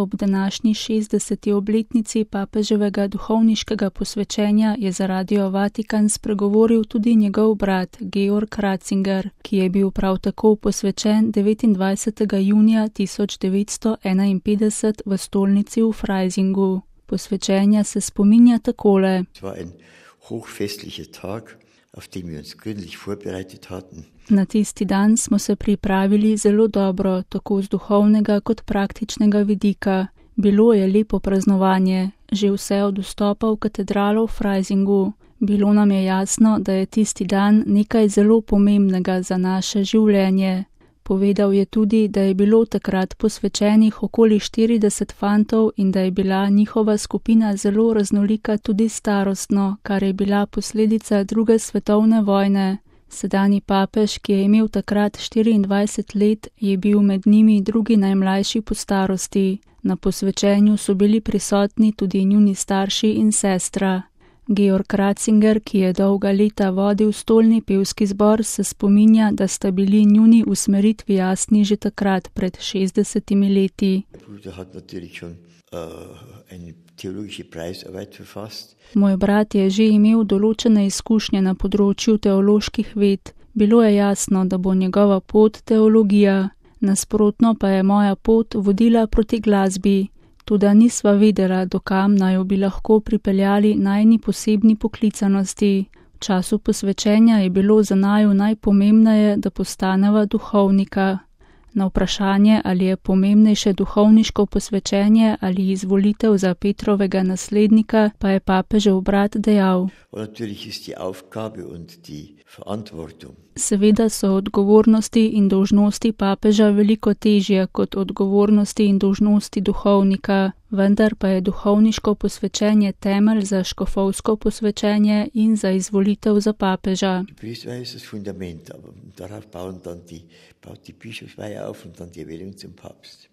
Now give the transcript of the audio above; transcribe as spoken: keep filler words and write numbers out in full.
Ob današnji šestdeseti obletnici papeževega duhovniškega posvečenja je za Radio Vatikan spregovoril tudi njegov brat Georg Ratzinger, ki je bil prav tako posvečen devetindvajsetega junija tisoč devetsto enainpetdeset v stolnici v Freisingu. Posvečenja se spominja takole. Na tisti dan smo se pripravili zelo dobro, tako z duhovnega kot praktičnega vidika. Bilo je lepo praznovanje, že vse od vstopa v katedralo v Freisingu. Bilo nam je jasno, da je tisti dan nekaj zelo pomembnega za naše življenje. Povedal je tudi, da je bilo takrat posvečenih okoli štirideset fantov in da je bila njihova skupina zelo raznolika tudi starostno, kar je bila posledica druge svetovne vojne. Sedanji papež, ki je imel takrat štiriindvajset let, je bil med njimi drugi najmlajši po starosti. Na posvečenju so bili prisotni tudi njuni starši in sestra. Georg Ratzinger, ki je dolga leta vodil stolni pevski zbor, se spominja, da sta bili njuni usmeritvi jasni že takrat pred šestdesetimi leti. Moj brat je že imel določene izkušnje na področju teoloških ved. Bilo je jasno, da bo njegova pot teologija. Nasprotno pa je moja pot vodila proti glasbi. Toda nisva vedela, dokam naj jo bi lahko pripeljali najini posebni poklicanosti. V času posvečenja je bilo za naju najpomembneje, da postaneva duhovnika. Na vprašanje, ali je pomembnejše duhovniško posvečenje ali izvolitev za Petrovega naslednika, pa je papežev brat dejal. Seveda so odgovornosti in dolžnosti papeža veliko težje kot odgovornosti in dolžnosti duhovnika, vendar pa je duhovniško posvečenje temelj za škofovsko posvečenje in za izvolitev za papeža. Darauf bauen dann die, baut die Bischofsweihe auf und dann die Erwählung zum Papst.